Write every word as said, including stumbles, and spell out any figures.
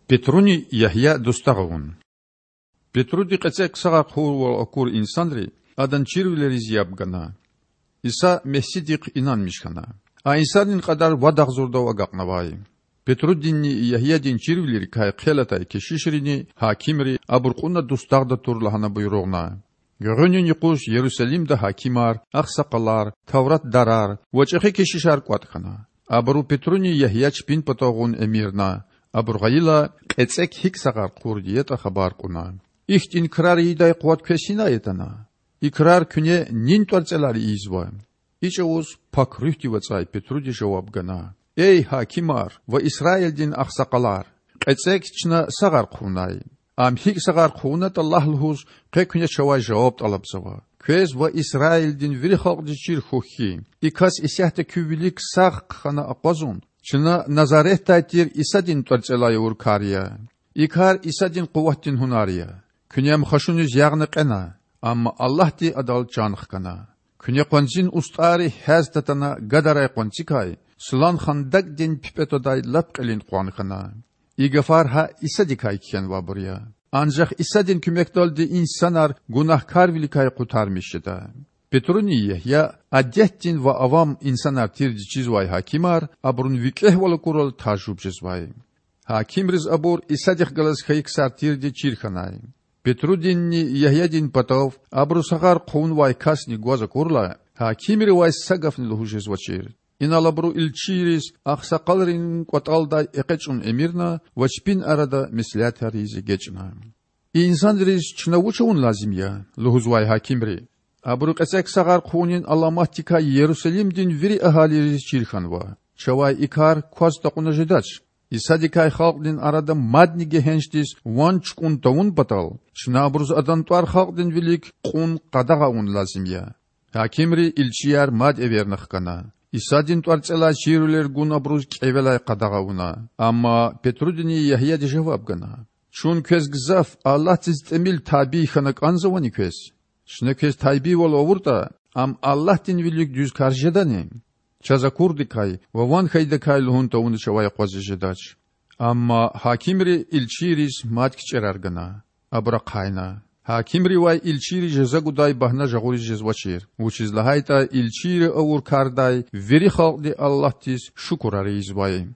Петруни Ягья дустагъ авун. Петруди кьецӀек сагъар хъувурвал акур инсанри Адан чирвилериз яб гана. Иса Мессидихъ инанмиш хьана. А инсанрин кьадар вад агъзурдав агакьнавай. Петрудинни Ягьядин чирвилерикай хъел атай кешишрини гьакимри абур кьуна дустагъда тур лагьана буйругъна. Гуьгъуьнин юкъуз Ярусалимда гьакимар, агъсакъалар, тавратдарар ва чӀехи кешишар кӀватӀ хьана. Абуру Петруни Ягья чпин патав гъун эмирна. Абур гъайила, кьецӀек гьикӀ сагъар хъувурди ятӀа хабар кьуна: Ихьтин крар ийидай къуват квез гьинай атана? И крар куьне нин тӀварцӀелай ийизва? И чӀавуз Пак Руьгьдив ацӀай Петруди жаваб гана: Эй гьакимар ва Исраилдин агъсакъалар! КьецӀек чна сагъар хъувунай. Ам гьикӀ сагъар хъувунатӀа лагь лугьуз, къе куьне чавай жаваб тӀалабзава. Квез ва Исраилдин вири халкьдиз чир хьухь хьи, и кас исятда куь вилик сагъ хъхьана акъвазун чна Назаретдай тир Исадин тӀварцӀелай авур кар я. И кар Исадин къуватдин гьунар я. Куьне Ам хашуниз ягъна кьена, амма Аллагьди Адал чан хкана. Куьне къванцин устӀарри гьяз татана гадарай къванцикай сулан хандакӀдин пипӀе твадай лап кьилин къван хьана. И гафар гьа Исадикай кхьенвайбур я. Анжах Исадин куьмекдалди инсанар гунагькарвиликай къутармиш жеда. Петруни Ягья, адетдин ва авам инсанар тирди чизвай гьакимар, абурун викӀегьвал акурла, тажуб жезвай. Гьакимриз абур Исадихъ галаз хьайи ксар тирди чир хьанай. Петрудинни Ягьядин патав абуру сагъар хъувунвай касни гваз акурла, гьакимривай са гафни лугьуз жезвачир. Инал абуру илчийриз агъсакъалрин кӀватӀалдай экъечӀун эмирна ва чпин арада меслятар ийиз эгечӀна. И инсанриз чна вуч авун лазим я? лугьузвай гьакимри. Абуру кьецӀек сагъар хъувунин аламатдикай Ярусалимдин вири агьалийриз чир хьанва. Чавай и кар кваз такьуна жедач. Исадикай халкьдин арада мадни гегьеншдиз ван чукӀун тавун патал, чна абуруз Адан тӀвар халкьдин вилик кьун къадагъа авун лазим я. Гьакимри илчияр мад эверна хкана. Исадин тӀварцӀелай чирвилер гун абуруз кӀевелай къадагъа авуна. Амма Петрудини Ягьяди жаваб гана: Чун квез гзаф Аллагьдиз тӀимил табий хьана кӀанзавани квез? Чна квез тайбийвал авуртӀа, ам Аллагьдин вилик дуьз кар жедани? Чаз акурдакай ва ван хьайидакай лугьун тавуна чавай акъвазиз жедач. Амма гьакимри илчийриз мад кичӀерар гана. Абур ахъайна. Гьакимривай илчийри жаза гудай багьна жагъуриз жезвачир, вучиз лагьайтӀа илчийри авур кардай вири халкьди Аллагьдиз шукурар ийизвай.